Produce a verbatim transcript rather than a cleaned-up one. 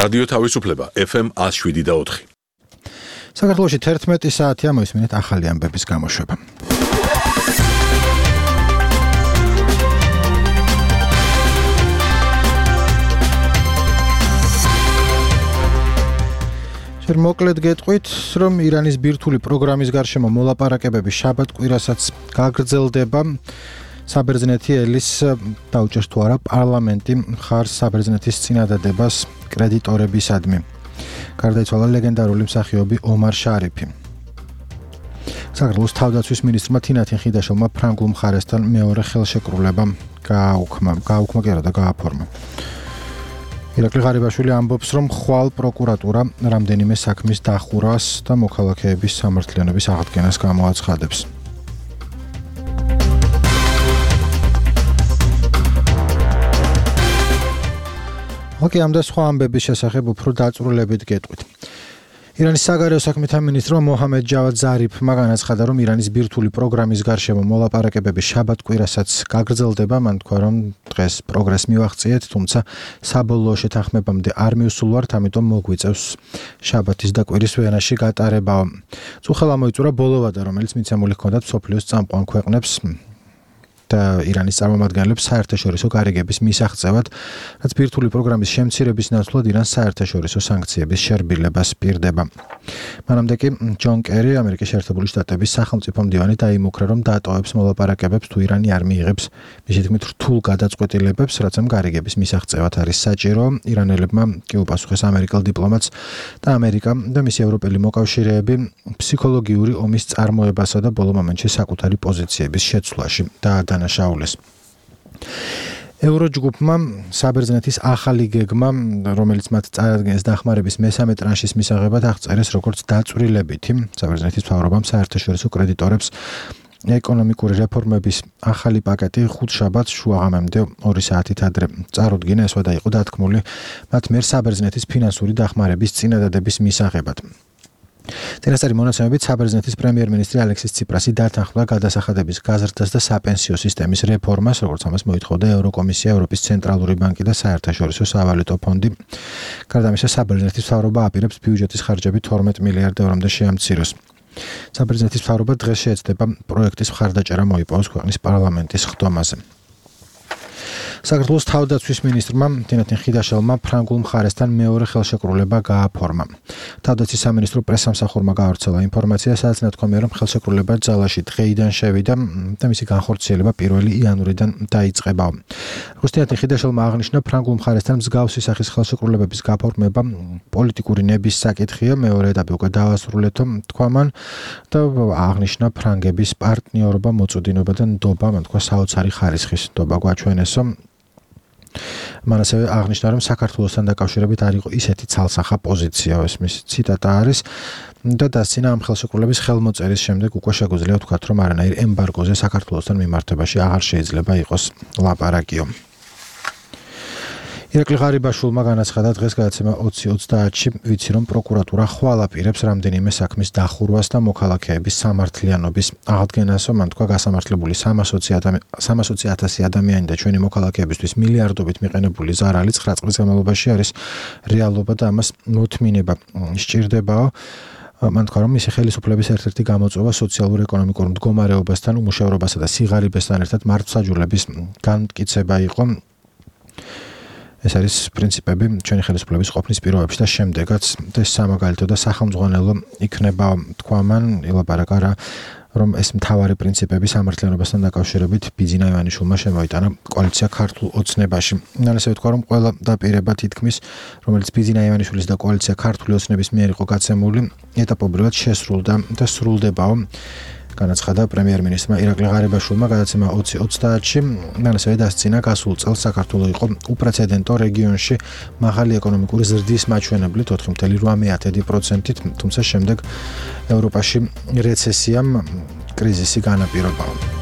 რადიო თავისუფლება ეფ ემ ათს შვიდი და ოთხი. საქართველოში თერთმეტი საათია მოისმინეთ ახალი ამბების გამოშვება. შენ მოკლედ გეტყვით, რომ ირანის ბირთვული პროგრამის გარშემო მოლაპარაკებები შაბათ-კვირასაც გაგრძელდება. საბერძნეთი ელის დაუჭერს თუ არა პარლამენტი მხარს საბერძნეთის წინადადებას კრედიტორებისადმი. გარდაიცვალა ლეგენდარული მსახიობი ომარ შარიფი. საქართველოს თავდაცვის მინისტრმა თინათინ ხიდაშოვმა ფრანგულ მხარესთან მეორე ხელშეკრულება გააუქმა, გააუქმა კი არა და გააფორმა. ირაკლი ღარიბაშვილი ამბობს, რომ ხვალ პროკურატურა რამდენიმე საქმის დახურვას და მოქალაქეების სამართლიანობის აღდგენას გამოაცხადებს. ოკეი, ამ და სხვა ამბების შესახებ უფრო დაწვრილებით გეტყვით. ირანის საგარეო საქმეთა მინისტრმა მოჰამედ ჯავად ზარიფმა განაცხადა, რომ ირანის ბირთვული პროგრამის გარშემო მოლაპარაკებები შაბათ-კვირასაც გაგრძელდება. მან თქვა, რომ დღეს პროგრესს მივაღწიეთ, თუმცა საბოლოო შეთანხმებამდე არ მივსულვართ, ამიტომ მოგვიწევს შაბათის და კვირის ვენაში გატარება. წუხელა მოიწურა ბოლოვადა, რომელიც მიცემული ჰქონდათ მსოფლიოს წამყვან ქვეყნებს და ირანის წარმომადგენლებს საერთაშორისო გარიგების მისაღწევად, რაც ბირთვული პროგრამის შემცირების ნაცვლად ირანს საერთაშორისო სანქციების შერბილებას პირდება. მანამდე კი ჯონ კერი, ამერიკის შეერთებული შტატების სახელმწიფო მდივანი დაიმუქრა, რომ დაატოვებს მოლაპარაკებებს, თუ ირანი არ მიიღებს მისი თქმით რთულ გადაწყვეტილებებს, რაც ამ გარიგების მისაღწევად არის საჭირო. ირანელებმა კი უპასუხეს ამერიკელ დიპლომატს და ამერიკა და მისი ევროპელი მოკავშირეები ფსიქოლოგიური ომის წარმოებასა და ბოლო მომენტში საკუთარი პოზიციების შეცვლაში დაადანაშაულეს. ევროჯგუფმა საბერძნეთის ახალი გეგმა, რომელიც მათ წარადგენს დახმარების მესამე ტრანშის მისაღებად, აღწერეს როგორც დაწვრილებითი. საბერძნეთის მთავრობამ საერთაშორისო კრედიტორებს ეკონომიკური რეფორმების ახალი პაკეტი ხუთშაბათს შუაღამემდე ორი საათით ადრე წარუდგინა, ეს ვადა იყო დათქმული მათ მიერ საბერძნეთის ფინანსური დახმარების წინადადების მისაღებად. წინასწარი მონაცემებით საბერძნეთის პრემიერ-მინისტრი ალექსის ციპრასი დათანხმდა გადასახადების გაზრდას და საპენსიო სისტემის რეფორმას, როგორც ამას მოითხოვდა ევროკომისია, ევროპის ცენტრალური ბანკი და საერთაშორისო სავალუტო ფონდი. გარდა ამისა, საბერძნეთის მთავრობა აპირებს ბიუჯეტის ხარჯები თორმეტ მილიარდ ევრომდე შეამციროს. საბერძნეთის მთავრობა დღეს შეეცდება პროექტის მხარდაჭერა მოიპოვოს ქვეყნის პარლამენტის ხდომაზე. საქართველოს თავდაცვის მინისტრმა თინათინ ხიდაშელმა ფრანგულ მხარესთან მეორე ხელშეკრულება გააფორმა. თავდაცვის სამინისტრო პრესსამსახურმა გაავრცელა ინფორმაცია, სადაც ნათქვამია, რომ ხელშეკრულება ძალაში დღეიდან შევიდა და მისი განხორციელება პირველი იანვრიდან დაიწყება. როგორც თინათინ ხიდაშელმა აღნიშნა, ფრანგულ მხარესთან მსგავსი სახის ხელშეკრულებების გაფორმება პოლიტიკური ნების საკითხია, მეორე ეტაპი უკვე დაასრულეთო, თქვა მან და აღნიშნა ფრანგების პარტნიორობა, მოწოდინობა და ნდობა, მან თქვა საოცარი ხარისხის ნდობა გვაჩვენესო. მან ასევე აღნიშნა, რომ საქართველოსთან დაკავშირებით არ იყო ისეთი ცალსახა პოზიცია, ეს მისი ციტატა არის და დასცინა ამ ხელშეკრულების ხელმოწერის შემდეგ უკვე შეგვიძლია ვთქვათ, რომ არანაირ ემბარგოზე საქართველოსთან მიმართებაში აღარ შეიძლება იყოს ლაპარაკიო. ირაკლი ღარიბაშვილმა განაცხადა დღეს გადაცემა ოცი ოცდაათში, ვიცი რომ პროკურატურა ხვალ აპირებს რამდენიმე საქმის დახურვას და მოქალაქეების სამართლიანობის აღდგენასო. მან თქვა, გასამართლებული სამასოცი ათასი ადამიანი და ჩვენი მოქალაქეებისთვის მილიარდობით მიყენებული ზარალი ცხრა წლის განმავლობაში არის რეალობა და ამას მოთმინება სჭირდებაო. მან თქვა, რომ მისი ხელისუფლების ერთ-ერთი გამოწვევა სოციალურ-ეკონომიკურ მდგომარეობასთან, უმუშევრობასა და სიღარიბესთან ერთად მართლმსაჯულების განმტკიცება იყო. ეს არის პრინციპები ჩვენი ხელისუფლების ყოფნის პირობებში და შემდეგაც ეს სამაგალითო და სახელმძღვანელო იქნება, თქვა მან, ილაპარაკა რა, რომ ეს მთავარი პრინციპები სამართლიანობასთან დაკავშირებით ბიძინა ივანიშვილმა შემოიტანა კოალიცია ქართულ ოცნებაში. მან ასევე თქვა, რომ ყველა დაპირება თითქმის, რომელიც ბიძინა ივანიშვილის და კოალიცია ქართული ოცნების მიერ იყო გაცემული, ეტაპობრივად შესრულდა და სრულდებაო. განაცხადა პრემიერ-მინისტრმა ირაკლი ღარიბაშვილმა გადაცემა ოცი ოცდაათში. მან ასევე დასცინა, გასულ წელს საქართველო იყო უპრეცედენტო რეგიონში მაღალი ეკონომიკური ზრდის მაჩვენებლით ოთხი კoma ოთხ პროცენტით, თუმცა შემდეგ ევროპაში რეცესიამ კრიზისი განაპირობა.